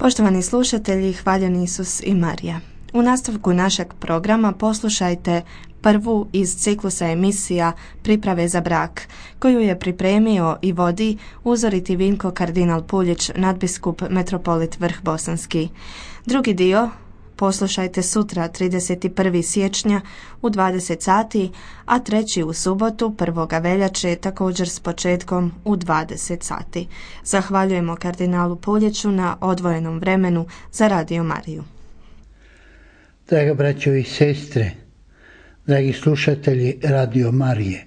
Poštovani slušatelji, hvaljen Isus i Marija. U nastavku našeg programa poslušajte prvu iz ciklusa emisija Priprave za brak, koju je pripremio i vodi uzoriti Vinko kardinal Puljić, nadbiskup metropolit Vrh Bosanski. Drugi dio poslušajte sutra 31. siječnja u 20 sati, a treći u subotu 1. veljače također s početkom u 20 sati. Zahvaljujemo kardinalu Puljiću na odvojenom vremenu za Radio Mariju. Draga braćo i sestre, dragi slušatelji Radio Marije,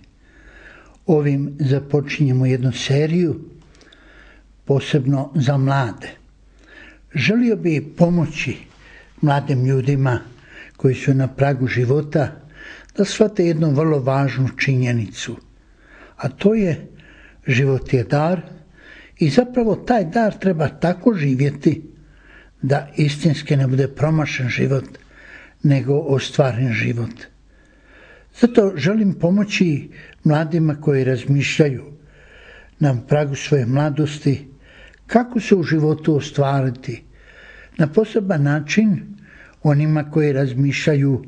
ovim započinjemo jednu seriju posebno za mlade. Želio bi pomoći mladim ljudima koji su na pragu života da shvate jednu vrlo važnu činjenicu, a to je život je dar i zapravo taj dar treba tako živjeti da istinski ne bude promašen život, nego ostvaren život. Zato želim pomoći mladima koji razmišljaju na pragu svoje mladosti kako se u životu ostvariti. Na poseban način onima koji razmišljaju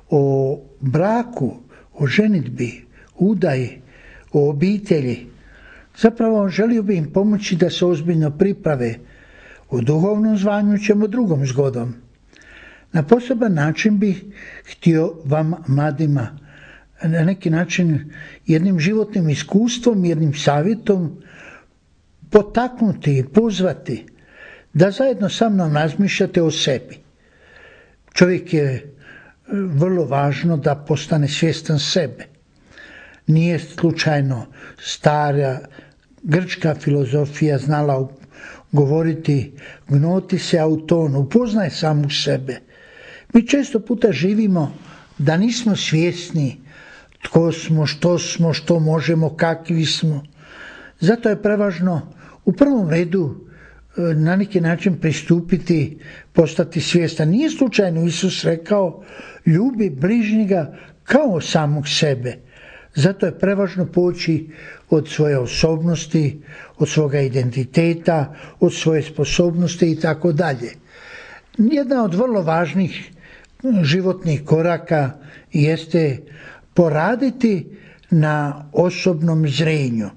o braku, o ženidbi, udaji, o obitelji. Zapravo želio bi im pomoći da se ozbiljno priprave. O duhovnom zvanju ćemo drugom zgodom. Na poseban način bih htio vam mladima na neki način jednim životnim iskustvom, jednim savjetom potaknuti i pozvati da zajedno sa mnom razmišljate o sebi. Čovjek je vrlo važno da postane svjestan sebe. Nije slučajno stara grčka filozofija znala govoriti gnoti se auton, upoznaj samu sebe. Mi često puta živimo da nismo svjesni tko smo, što možemo, kakvi smo. Zato je prevažno u prvom redu na neki način pristupiti, postati svjestan. Nije slučajno Isus rekao ljubi bližnjega kao samog sebe. Zato je prevažno poći od svoje osobnosti, od svoga identiteta, od svoje sposobnosti i tako dalje. Jedna od vrlo važnih životnih koraka jeste poraditi na osobnom zrenju.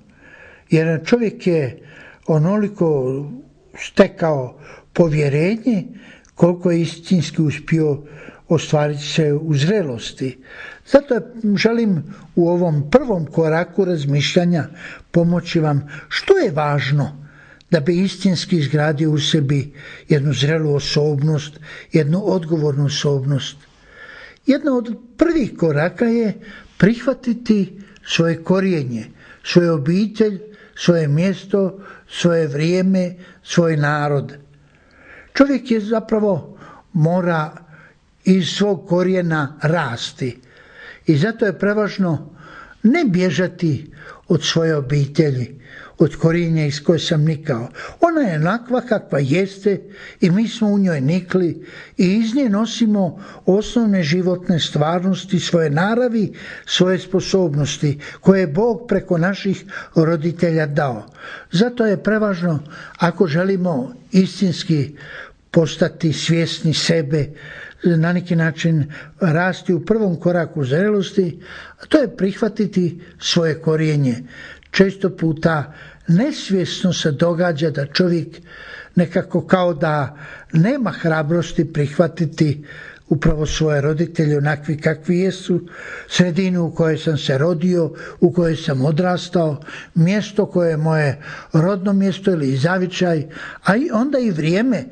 Jer čovjek je onoliko stekao povjerenje koliko je istinski uspio ostvariti se u zrelosti. Zato želim u ovom prvom koraku razmišljanja pomoći vam što je važno da bi istinski izgradio u sebi jednu zrelu osobnost, jednu odgovornu osobnost. Jedna od prvih koraka je prihvatiti svoje korijenje, svoju obitelj, svoje mjesto, svoje vrijeme, svoj narod. Čovjek je zapravo mora iz svog korijena rasti i zato je prevažno ne bježati od svoje obitelji, od korijenja iz koje sam nikao. Ona je onakva kakva jeste i mi smo u njoj nikli i iz nje nosimo osnovne životne stvarnosti, svoje naravi, svoje sposobnosti koje je Bog preko naših roditelja dao. Zato je prevažno ako želimo istinski postati svjesni sebe, na neki način rasti u prvom koraku zrelosti, a to je prihvatiti svoje korijenje. Često puta nesvjesno se događa da čovjek nekako kao da nema hrabrosti prihvatiti upravo svoje roditelje onakvi kakvi jesu, sredinu u kojoj sam se rodio, u kojoj sam odrastao, mjesto koje je moje rodno mjesto ili zavičaj, a i onda i vrijeme.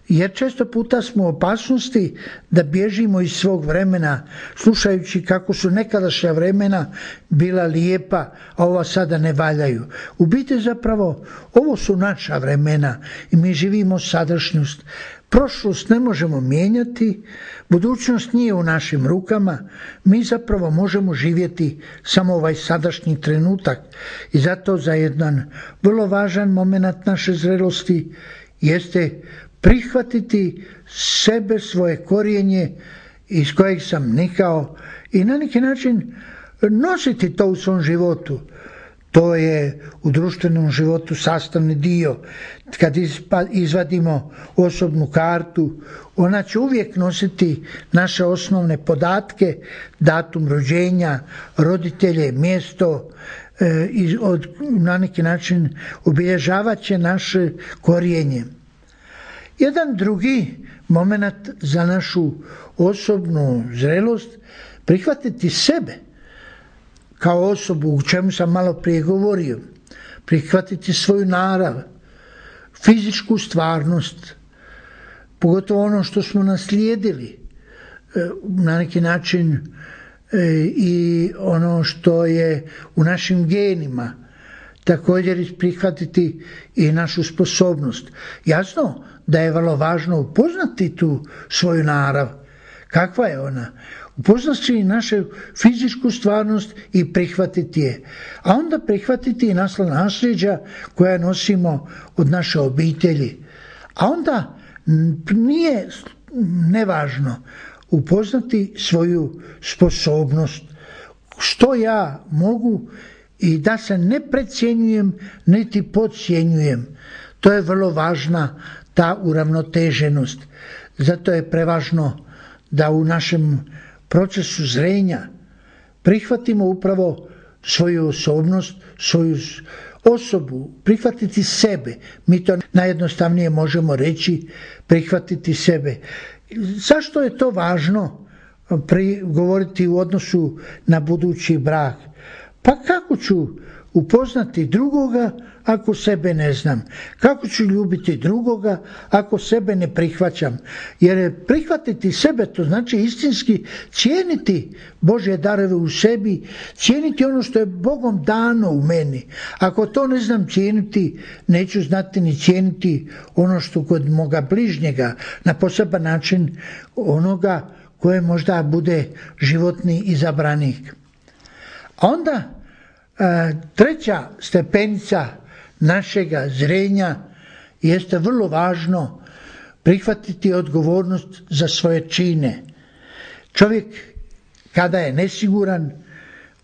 Jer često puta smo u opasnosti da bježimo iz svog vremena, slušajući kako su nekadašnja vremena bila lijepa, a ova sada ne valjaju. U biti zapravo ovo su naša vremena i mi živimo sadašnjost. Prošlost ne možemo mijenjati, budućnost nije u našim rukama, mi zapravo možemo živjeti samo ovaj sadašnji trenutak. I zato za jedan vrlo važan moment naše zrelosti jeste prihvatiti sebe, svoje korijenje iz kojeg sam nikao i na neki način nositi to u svom životu. to je u društvenom životu sastavni dio. Kad izvadimo osobnu kartu, ona će uvijek nositi naše osnovne podatke, datum rođenja, roditelje, mjesto, na neki način obilježavat će naše korijenje. Jedan drugi moment za našu osobnu zrelost, prihvatiti sebe kao osobu, u čemu sam malo prije govorio, prihvatiti svoju narav, fizičku stvarnost, pogotovo ono što smo naslijedili, na neki način i ono što je u našim genima, također prihvatiti i našu sposobnost. Jasno da je vrlo važno upoznati tu svoju narav, kakva je ona, upoznati našu fizičku stvarnost i prihvatiti je, a onda prihvatiti i nasljeđa koja nosimo od naše obitelji. A onda nije nevažno upoznati svoju sposobnost, što ja mogu, i da se ne precjenjujem niti podcjenjujem. To je vrlo važna ta uravnoteženost. Zato je prevažno da u našem procesu zrenja prihvatimo upravo svoju osobnost, svoju osobu, prihvatiti sebe. Mi to najjednostavnije možemo reći, prihvatiti sebe. Zašto je to važno govoriti u odnosu na budući brak? Pa kako ću upoznati drugoga ako sebe ne znam? Kako ću ljubiti drugoga ako sebe ne prihvaćam? Jer prihvatiti sebe, to znači istinski cijeniti Božje darove u sebi, cijeniti ono što je Bogom dano u meni. Ako to ne znam cijeniti, neću znati ni cijeniti ono što kod moga bližnjega, na poseban način onoga koje možda bude životni izabranik. A onda treća stepenica našega zrenja jeste vrlo važno prihvatiti odgovornost za svoje čine. Čovjek kada je nesiguran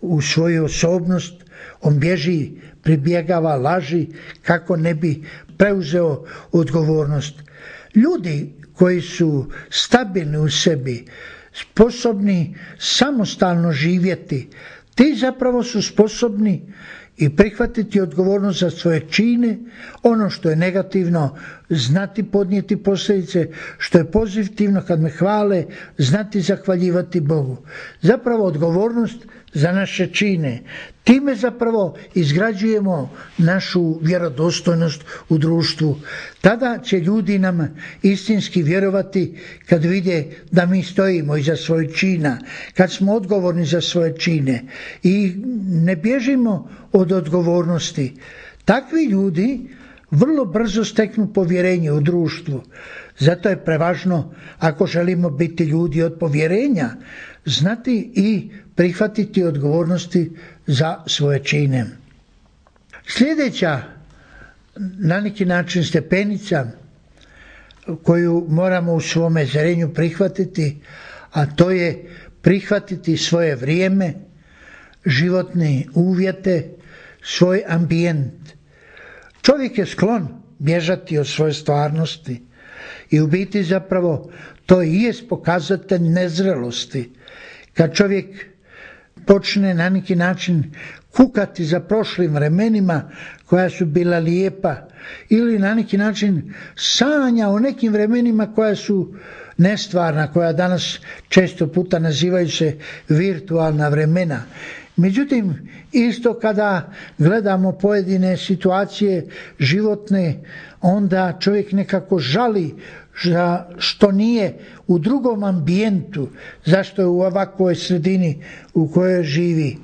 u svoju osobnost, on bježi, pribjegava laži kako ne bi preuzeo odgovornost. Ljudi koji su stabilni u sebi, sposobni samostalno živjeti, ti zapravo su sposobni i prihvatiti odgovornost za svoje čine, ono što je negativno znati podnijeti posljedice, što je pozitivno kad me hvale znati zahvaljivati Bogu. Zapravo odgovornost za naše čine. Time zapravo izgrađujemo našu vjerodostojnost u društvu. Tada će ljudi nam istinski vjerovati kad vide da mi stojimo iza svojih čina, kad smo odgovorni za svoje čine i ne bježimo od odgovornosti. Takvi ljudi vrlo brzo steknu povjerenje u društvu. Zato je prevažno, ako želimo biti ljudi od povjerenja, znati i prihvatiti odgovornosti za svoje čine. Sljedeća, na neki način, stepenica koju moramo u svome zrenju prihvatiti, a to je prihvatiti svoje vrijeme, životne uvjete, svoj ambijent. Čovjek je sklon bježati od svoje stvarnosti i u biti zapravo to i jest pokazatelj nezrelosti. Kad čovjek počne na neki način kukati za prošlim vremenima koja su bila lijepa ili na neki način sanja o nekim vremenima koja su nestvarna, koja danas često puta nazivaju se virtualna vremena. Međutim, isto kada gledamo pojedine situacije životne, onda čovjek nekako žali što nije u drugom ambijentu, zašto je u ovakvoj sredini u kojoj živi.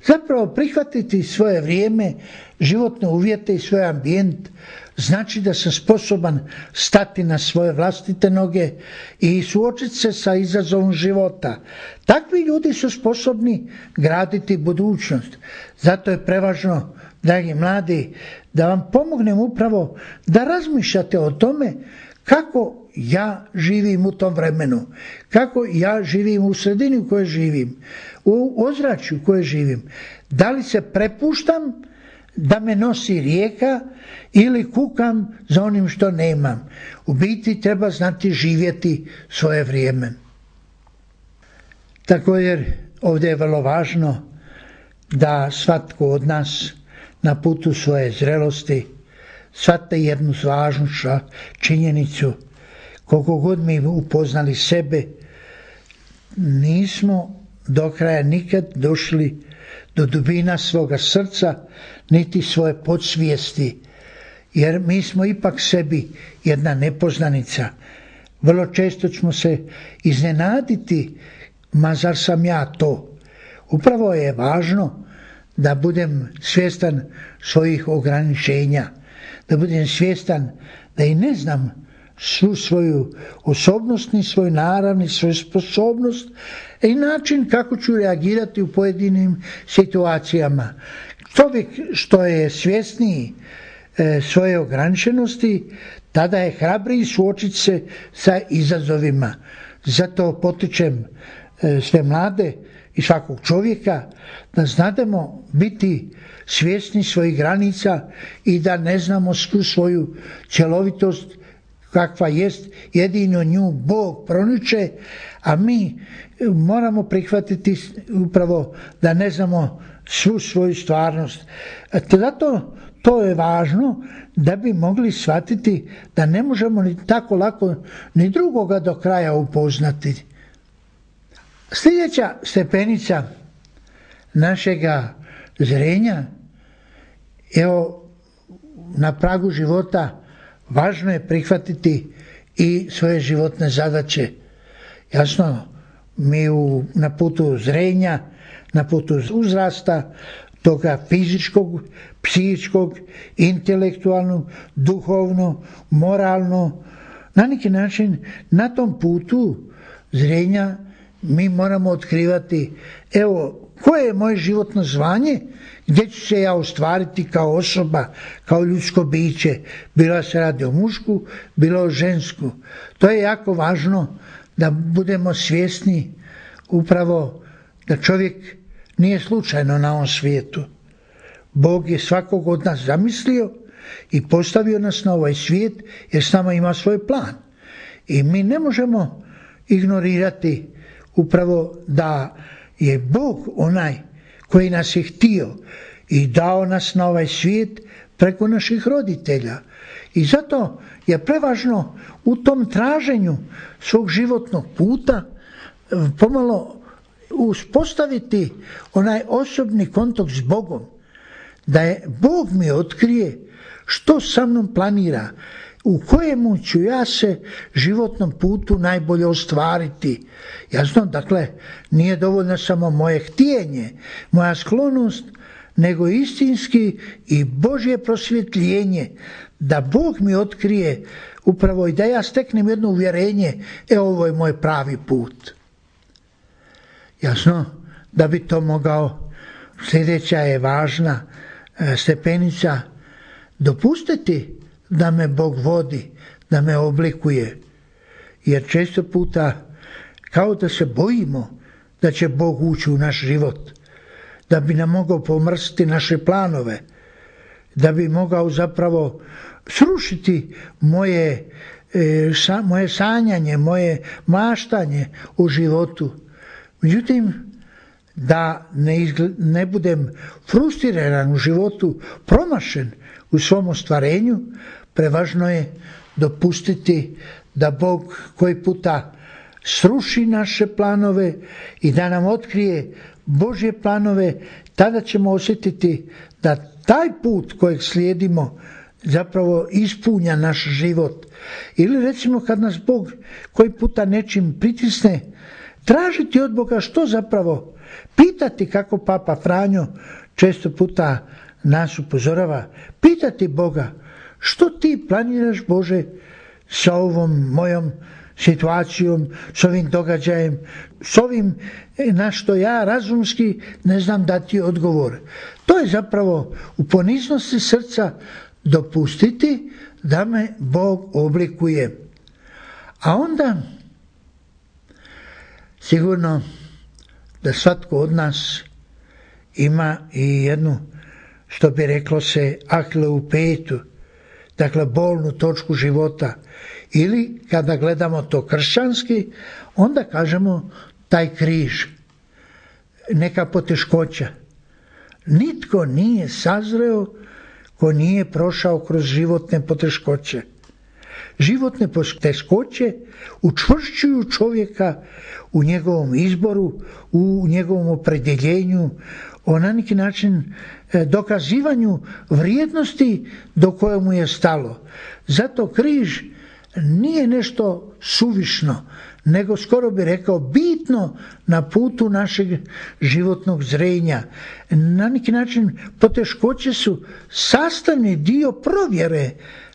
Zapravo prihvatiti svoje vrijeme, životne uvjete i svoj ambijent znači da sam sposoban stati na svoje vlastite noge i suočiti se sa izazovom života. Takvi ljudi su sposobni graditi budućnost. Zato je prevažno, dragi mladi, da vam pomognem upravo da razmišljate o tome kako ja živim u tom vremenu, kako ja živim u sredini u kojoj živim, u ozračju u kojoj živim. Da li se prepuštam da me nosi rijeka ili kukam za onim što nemam. U biti treba znati živjeti svoje vrijeme. Također ovdje je vrlo važno da svatko od nas na putu svoje zrelosti shvate jednu važnu činjenicu. Koliko god mi upoznali sebe, nismo do kraja nikad došli do dubina svoga srca, niti svoje podsvijesti, jer mi smo ipak sebi jedna nepoznanica. Vrlo često ćemo se iznenaditi, ma zar sam ja to? Upravo je važno da budem svjestan svojih ograničenja, da budem svjestan da i ne znam svu svoju osobnost, ni svoj narav, ni svoju sposobnost i način kako ću reagirati u pojedinim situacijama. Čovjek što je svjesniji svoje ograničenosti, tada je hrabriji suočiti se sa izazovima. Zato potičem sve mlade i svakog čovjeka da znademo biti svjesni svojih granica i da ne znamo svu svoju cjelovitost kakva jest, jedino nju Bog proniče, a mi moramo prihvatiti upravo da ne znamo svu svoju stvarnost. Zato to je važno da bi mogli shvatiti da ne možemo ni tako lako ni drugoga do kraja upoznati. Sljedeća stepenica našega zrenja, evo na pragu života, važno je prihvatiti i svoje životne zadaće. Jasno, mi na putu zrenja, na putu uzrasta, toga fizičkog, psihičkog, intelektualnog, duhovno, moralno, na neki način na tom putu zrenja mi moramo otkrivati, evo, koje je moje životno zvanje, gdje ću se ja ostvariti kao osoba, kao ljudsko biće, bilo se radi o mušku, bilo o žensku. To je jako važno da budemo svjesni upravo da čovjek nije slučajno na ovom svijetu. Bog je svakog od nas zamislio i postavio nas na ovaj svijet jer s nama ima svoj plan. I mi ne možemo ignorirati upravo da je Bog onaj koji nas je htio i dao nas na ovaj svijet preko naših roditelja. I zato je prevažno u tom traženju svog životnog puta pomalo uspostaviti onaj osobni kontakt s Bogom, da je Bog mi otkrije što sa mnom planira, u kojemu ću ja se životnom putu najbolje ostvariti. Jasno, dakle, nije dovoljno samo moje htjenje, moja sklonost, nego istinski i Božje prosvjetljenje, da Bog mi otkrije upravo i da ja steknem jedno uvjerenje, ovo je moj pravi put. Jasno, da bi to mogao, sljedeća je važna stepenica, dopustiti da me Bog vodi, da me oblikuje. Jer često puta kao da se bojimo da će Bog ući u naš život, da bi nam mogao pomrstiti naše planove, da bi mogao zapravo srušiti moje sanjanje, moje maštanje u životu. Međutim, da ne budem frustriran u životu, promašen u svom ostvarenju, prevažno je dopustiti da Bog koji puta sruši naše planove i da nam otkrije Božje planove, tada ćemo osjetiti da taj put kojeg slijedimo zapravo ispunja naš život. Ili recimo kad nas Bog koji puta nečim pritisne, tražiti od Boga što zapravo, pitati kako Papa Franjo često puta nas upozorava, pitati Boga što ti planiraš Bože sa ovom mojom situacijom, s ovim događajem, s ovim na što ja razumski ne znam dati odgovor. To je zapravo u poniznosti srca dopustiti da me Bog oblikuje. A onda sigurno da svatko od nas ima i jednu što bi reklo se Ahillovu petu, dakle bolnu točku života. Ili kada gledamo to kršćanski, onda kažemo taj križ, neka poteškoća. Nitko nije sazreo ko nije prošao kroz životne poteškoće. Životne poteškoće učvršćuju čovjeka u njegovom izboru, u njegovom opredjeljenju, na neki način dokazivanju vrijednosti do koje mu je stalo. Zato križ nije nešto suvišno, nego skoro bi rekao bitno na putu našeg životnog zrenja. Na neki način poteškoće su sastavni dio provjere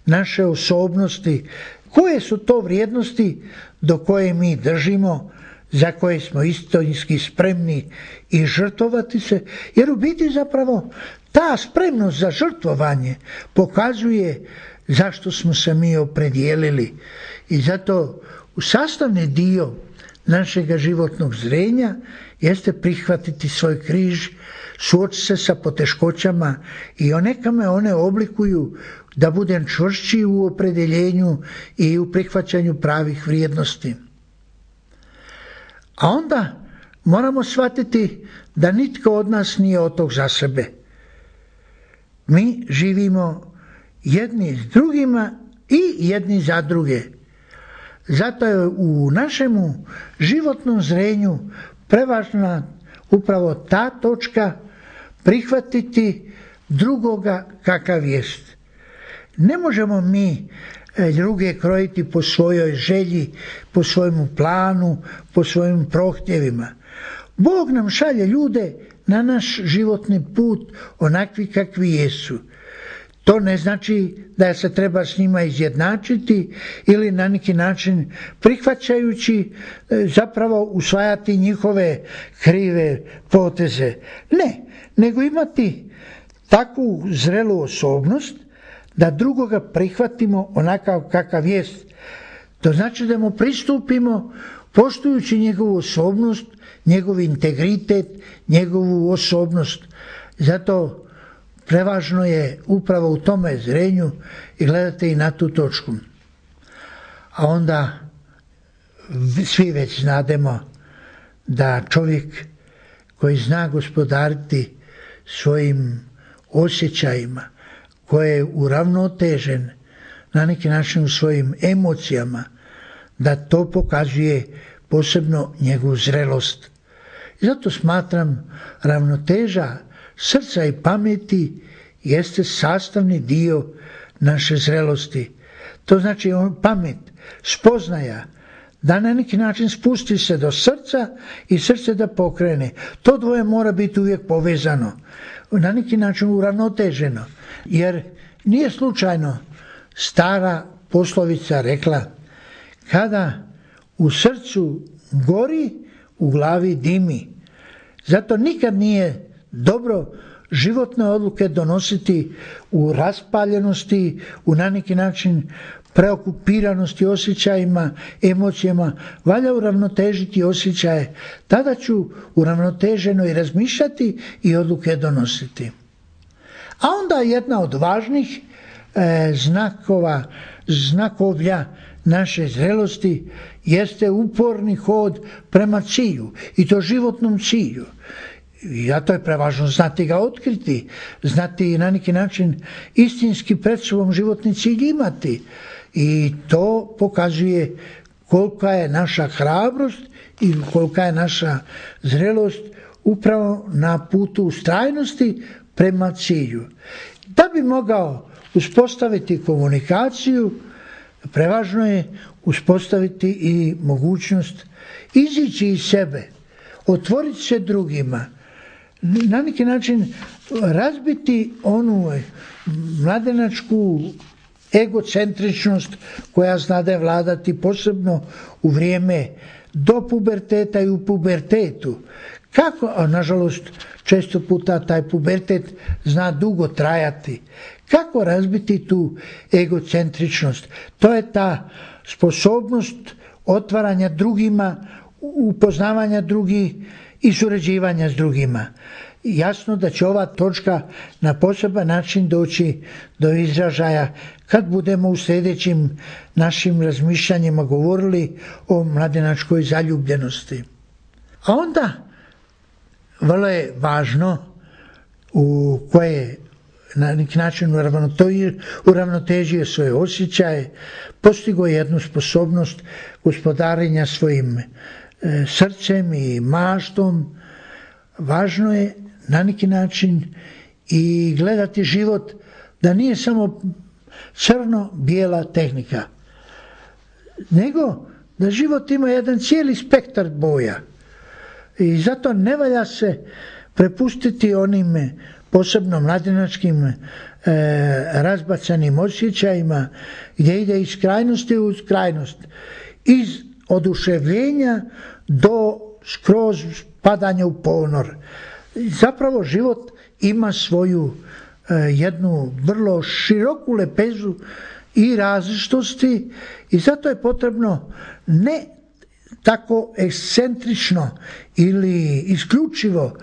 naše osobnosti. Koje su to vrijednosti do koje mi držimo, za koje smo istinski spremni i žrtvovati se, jer u biti zapravo ta spremnost za žrtvovanje pokazuje zašto smo se mi opredijelili. I zato sastavni dio našega životnog zrenja jeste prihvatiti svoj križ, suočiti se sa poteškoćama i neka me one oblikuju da budem čvršći u opredjeljenju i u prihvaćanju pravih vrijednosti. A onda moramo shvatiti da nitko od nas nije otok za sebe. Mi živimo jedni s drugima i jedni za druge. Zato je u našemu životnom zrenju prevažna upravo ta točka prihvatiti drugoga kakav jest. Ne možemo mi druge krojiti po svojoj želji, po svojemu planu, po svojim prohtjevima. Bog nam šalje ljude na naš životni put onakvi kakvi jesu. To ne znači da se treba s njima izjednačiti ili na neki način prihvaćajući zapravo usvajati njihove krive poteze. Ne, nego imati takvu zrelu osobnost da drugoga prihvatimo onakav kakav jest. To znači da mu pristupimo poštujući njegovu osobnost, njegov integritet, njegovu osobnost. Zato prevažno je upravo u tome zrenju i gledate i na tu točku. A onda svi već znademo da čovjek koji zna gospodariti svojim osjećajima, koji je uravnotežen na neki način u svojim emocijama, da to pokazuje posebno njegovu zrelost. I zato smatram ravnoteža srca i pameti jeste sastavni dio naše zrelosti. To znači pamet, spoznaja, da na neki način spusti se do srca i srce da pokrene. To dvoje mora biti uvijek povezano, na neki način uravnoteženo. Jer nije slučajno stara poslovica rekla: kada u srcu gori, u glavi dimi. Zato nikad nije dobro životne odluke donositi u raspaljenosti, u na neki način preokupiranosti osjećajima, emocijama. Valja uravnotežiti osjećaje, tada ću uravnoteženo i razmišljati i odluke donositi. A onda jedna od važnih znakovlja naše zrelosti jeste uporni hod prema cilju, i to životnom cilju. I zato je prevažno znati ga otkriti, znati na neki način istinski pred sobom životni cilj imati. I to pokazuje kolika je naša hrabrost i kolika je naša zrelost upravo na putu ustrajnosti prema cilju. Da bi mogao uspostaviti komunikaciju, prevažno je uspostaviti i mogućnost izići iz sebe, otvoriti se drugima, na neki način razbiti onu mladenačku egocentričnost koja znade vladati posebno u vrijeme do puberteta i u pubertetu. Kako, a nažalost često puta taj pubertet zna dugo trajati. Kako razbiti tu egocentričnost? To je ta sposobnost otvaranja drugima, upoznavanja drugih i surađivanja s drugima. jasno da će ova točka na poseban način doći do izražaja kad budemo u sljedećim našim razmišljanjima govorili o mladenačkoj zaljubljenosti. A onda vrlo je važno u koje na neki način uravnotežio svoje osjećaje, postigao jednu sposobnost gospodarenja svojim srcem i maštom. Važno je na neki način i gledati život da nije samo crno-bijela tehnika, nego da život ima jedan cijeli spektar boja. I zato ne valja se prepustiti onim posebno mladenačkim razbacanim osjećajima gdje ide iz krajnosti u krajnost, iz oduševljenja do skroz padanja u ponor. Zapravo život ima svoju jednu vrlo široku lepezu i različitosti i zato je potrebno ne tako ekscentrično ili isključivo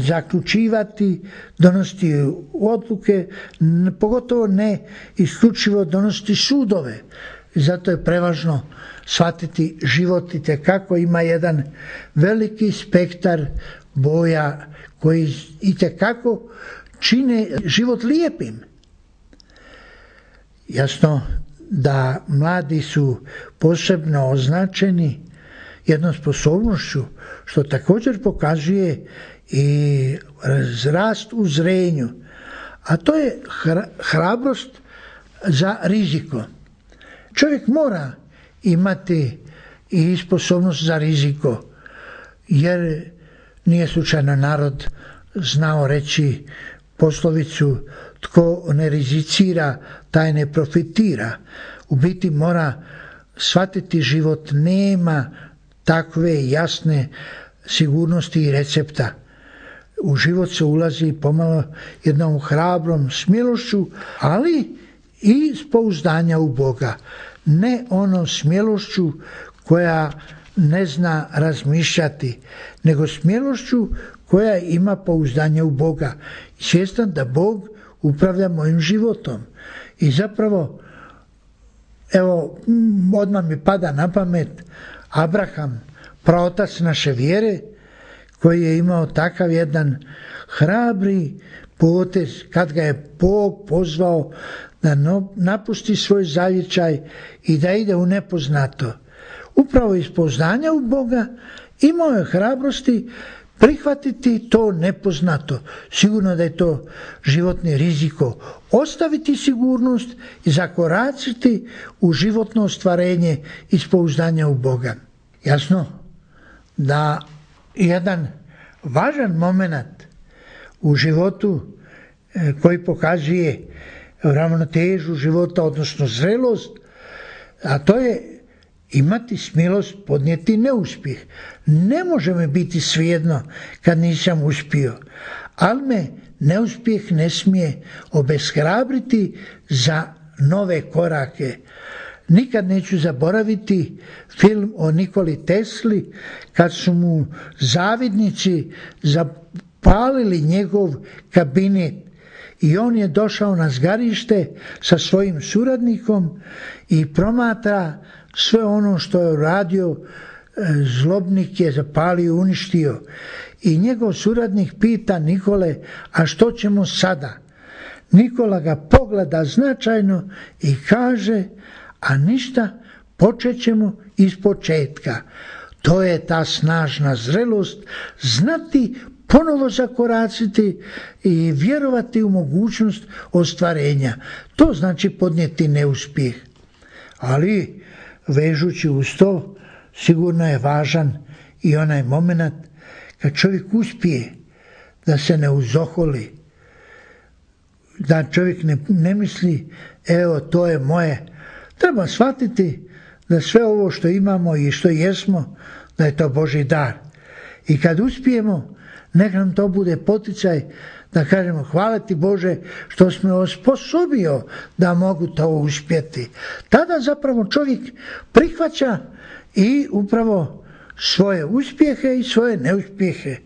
zaključivati, donositi odluke, pogotovo ne isključivo donositi sudove. Zato je prevažno shvatiti život itekako ima jedan veliki spektar boja koji itekako čine život lijepim. Jasno da mladi su posebno označeni jednom sposobnošću što također pokazuje i rast u zrenju, a to je hrabrost za riziko. Čovjek mora imati i sposobnost za riziko, jer nije slučajno narod znao reći poslovicu tko ne rizicira, taj ne profitira. U biti mora shvatiti život, nema takve jasne sigurnosti i recepta. U život se ulazi pomalo jednom hrabrom smjelošću, ali i s pouzdanja u Boga. Ne onom smjelošću koja ne zna razmišljati, nego smjelošću koja ima pouzdanje u Boga. Svjestan da Bog upravlja mojim životom. I zapravo, evo, odmah mi pada na pamet Abraham, praotac naše vjere, koji je imao takav jedan hrabri potez kad ga je Bog pozvao da napusti svoj zavičaj i da ide u nepoznato. Upravo iz pouzdanja u Boga imao je hrabrosti prihvatiti to nepoznato. Sigurno da je to životni riziko. Ostaviti sigurnost i zakoračiti u životno ostvarenje iz pouzdanja u Boga. Jasno da jedan važan moment u životu koji pokazuje ravnotežu života, odnosno zrelost, a to je imati smilost podnijeti neuspjeh. Ne može mi biti svejedno kad nisam uspio, ali me neuspjeh ne smije obeshrabriti za nove korake. Nikad neću zaboraviti film o Nikoli Tesli kad su mu zavidnici zapalili njegov kabinet i on je došao na zgarište sa svojim suradnikom i promatra sve ono što je uradio, zlobnik je zapalio i uništio. I njegov suradnik pita Nikole, a što ćemo sada? Nikola ga pogleda značajno i kaže, a ništa, počet ćemo iz početka. To je ta snažna zrelost, znati ponovo zakoraciti i vjerovati u mogućnost ostvarenja. To znači podnijeti neuspjeh. Ali vežući uz to, sigurno je važan i onaj moment kad čovjek uspije da se ne uzoholi, da čovjek ne misli, evo to je moje. Treba shvatiti da sve ovo što imamo i što jesmo, da je to Božji dar. I kad uspijemo, nek nam to bude poticaj da kažemo hvala ti Bože što si me osposobio da mogu to uspjeti. Tada zapravo čovjek prihvaća i upravo svoje uspjehe i svoje neuspjehe.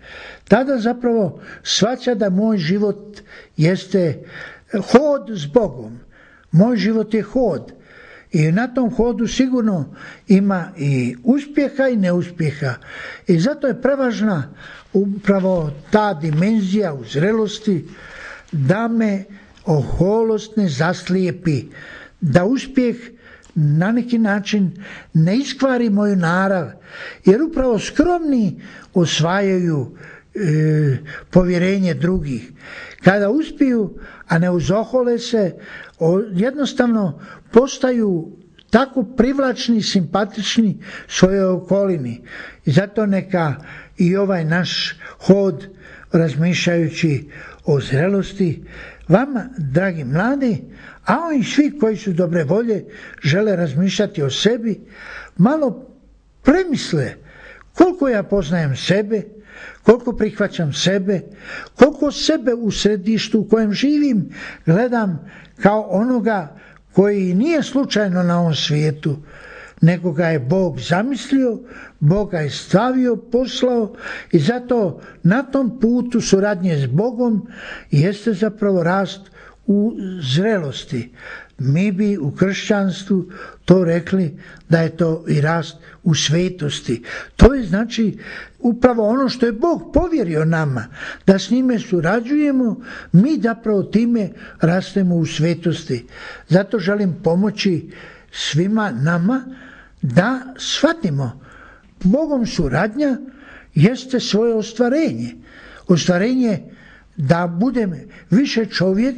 Tada zapravo shvaća da moj život jeste hod s Bogom. Moj život je hod. I na tom hodu sigurno ima i uspjeha i neuspjeha. I zato je prevažna upravo ta dimenzija u zrelosti da me oholost ne zaslijepi, da uspjeh na neki način ne iskvari moju narav, jer upravo skromni osvajaju povjerenje drugih. Kada uspiju, a ne uzohole se, jednostavno postaju tako privlačni i simpatični svojoj okolini. I zato neka i ovaj naš hod, razmišljajući o zrelosti, vama, dragi mladi, a oni svi koji su dobre volje, žele razmišljati o sebi, malo premisle koliko ja poznajem sebe, koliko prihvaćam sebe, koliko sebe u središtu u kojem živim gledam kao onoga koji nije slučajno na ovom svijetu, nego ga je Bog zamislio, Bog ga je stavio, poslao i zato na tom putu suradnje s Bogom jeste zapravo rast u zrelosti. Mi bi u kršćanstvu to rekli da je to i rast u svetosti. To je znači upravo ono što je Bog povjerio nama, da s njime surađujemo, mi zapravo time rastemo u svetosti. Zato želim pomoći svima nama da shvatimo, Bogom suradnja jeste svoje ostvarenje. Ostvarenje da budem više čovjek,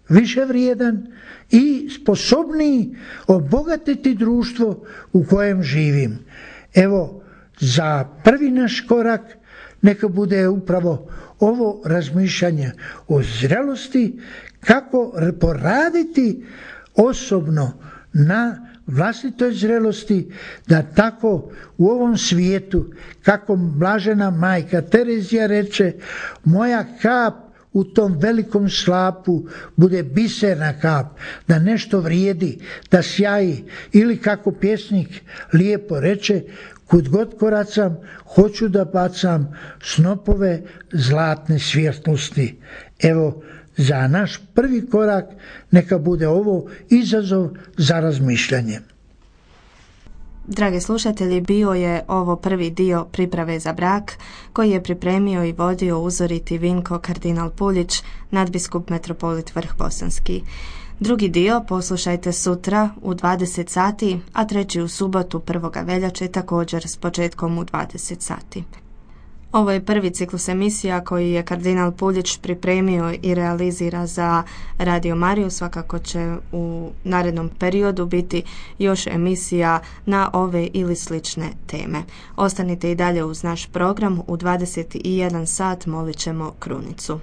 više vrijedan i sposobniji obogatiti društvo u kojem živim. Evo, za prvi naš korak neka bude upravo ovo razmišljanje o zrelosti, kako poraditi osobno na vlastitoj zrelosti, da tako u ovom svijetu, kako blažena majka Terezija reče, moja kap u tom velikom slapu bude biserna kap, da nešto vrijedi, da sjaji, ili kako pjesnik lijepo reče, kud god koracam, hoću da bacam snopove zlatne svjetlosti. Evo, za naš prvi korak neka bude ovo izazov za razmišljanje. Dragi slušatelji, bio je ovo prvi dio priprave za brak koji je pripremio i vodio uzoriti Vinko kardinal Puljić, nadbiskup metropolit Vrh Bosanski. Drugi dio poslušajte sutra u 20 sati, a treći u subotu 1. veljače također s početkom u 20 sati. Ovo je prvi ciklus emisija koji je kardinal Puljić pripremio i realizira za Radio Mariju. Svakako će u narednom periodu biti još emisija na ove ili slične teme. Ostanite i dalje uz naš program. U 21 sat molit ćemo krunicu.